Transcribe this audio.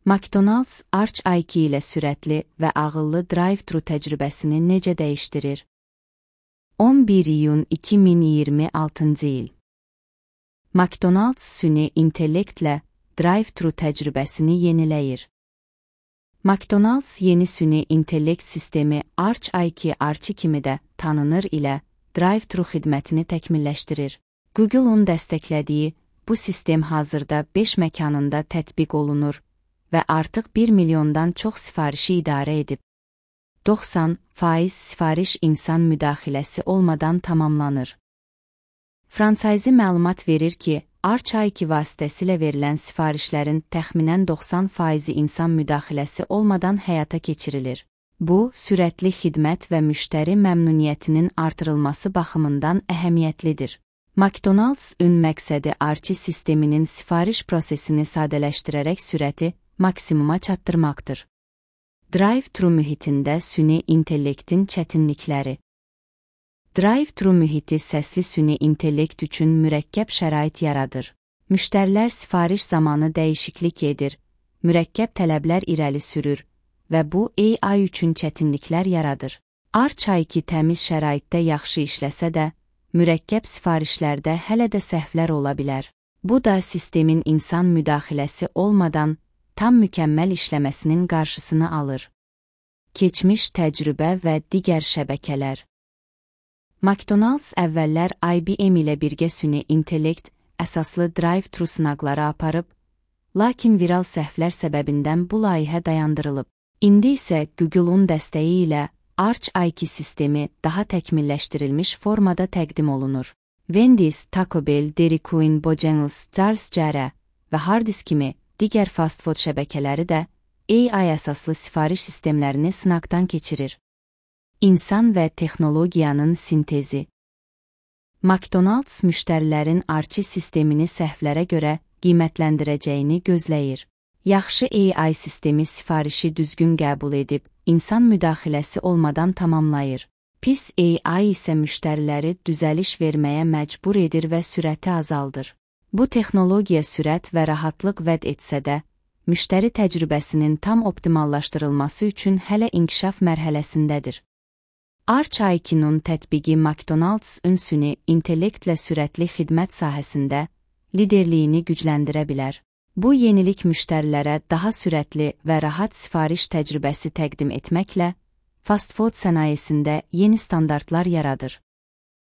McDonald's Arch IQ ilə sürətli və ağıllı drive-thru təcrübəsini necə dəyişdirir? 11 iyun 2026-cı il. McDonald's süni intellektlə drive-thru təcrübəsini yeniləyir. McDonald's yeni süni intellekt sistemi Arch IQ Archie kimi də tanınır ilə drive-thru xidmətini təkmilləşdirir. Google-un dəstəklədiyi bu sistem hazırda 5 məkanında tətbiq olunur və artıq 1 milyondan çox sifarişi idarə edib. 90% sifariş insan müdaxiləsi olmadan tamamlanır. Fransayzi məlumat verir ki, Arch IQ vasitəsilə verilən sifarişlərin təxminən 90% insan müdaxiləsi olmadan həyata keçirilir. Bu, sürətli xidmət və müştəri məmnuniyyətinin artırılması baxımından əhəmiyyətlidir. McDonald's-ün məqsədi Archie sisteminin sifariş prosesini sadələşdirərək sürəti maksimuma çatdırmaqdır. Drive-thru mühitində süni intellektin çətinlikləri. Drive-thru mühiti səsli süni intellekt üçün mürəkkəb şərait yaradır. Müştərilər sifariş zamanı dəyişiklik edir, mürəkkəb tələblər irəli sürür və bu AI üçün çətinliklər yaradır. Arch IQ təmiz şəraitdə yaxşı işləsə də, mürəkkəb sifarişlərdə hələ də səhvlər ola bilər. Bu da sistemin insan müdaxiləsi olmadan tam mükəmməl işləməsinin qarşısını alır. Keçmiş təcrübə və digər şəbəkələr. McDonald's əvvəllər IBM ilə birgə süni intellekt əsaslı drive-thru sınaqları aparıb, lakin viral səhvlər səbəbindən bu layihə dayandırılıb. İndi isə Google-un dəstəyi ilə Arch IQ sistemi daha təkmilləşdirilmiş formada təqdim olunur. Wendy's, Taco Bell, Dairy Queen, Bojangles, Charles J. və Hardee's kimi digər fast food şəbəkələri də AI əsaslı sifariş sistemlərini sınaqdan keçirir. İnsan və texnologiyanın sintezi. McDonald's müştərilərin Archie sistemini səhvlərə görə qiymətləndirəcəyini gözləyir. Yaxşı AI sistemi sifarişi düzgün qəbul edib, insan müdaxiləsi olmadan tamamlayır. Pis AI isə müştəriləri düzəliş verməyə məcbur edir və sürəti azaldır. Bu texnologiya sürət və rahatlıq vəd etsə də, müştəri təcrübəsinin tam optimallaşdırılması üçün hələ inkişaf mərhələsindədir. Arch IQ-nun tətbiqi McDonald's süni intellektlə sürətli xidmət sahəsində liderliyini gücləndirə bilər. Bu yenilik müştərilərə daha sürətli və rahat sifariş təcrübəsi təqdim etməklə fast food sənayesində yeni standartlar yaradır.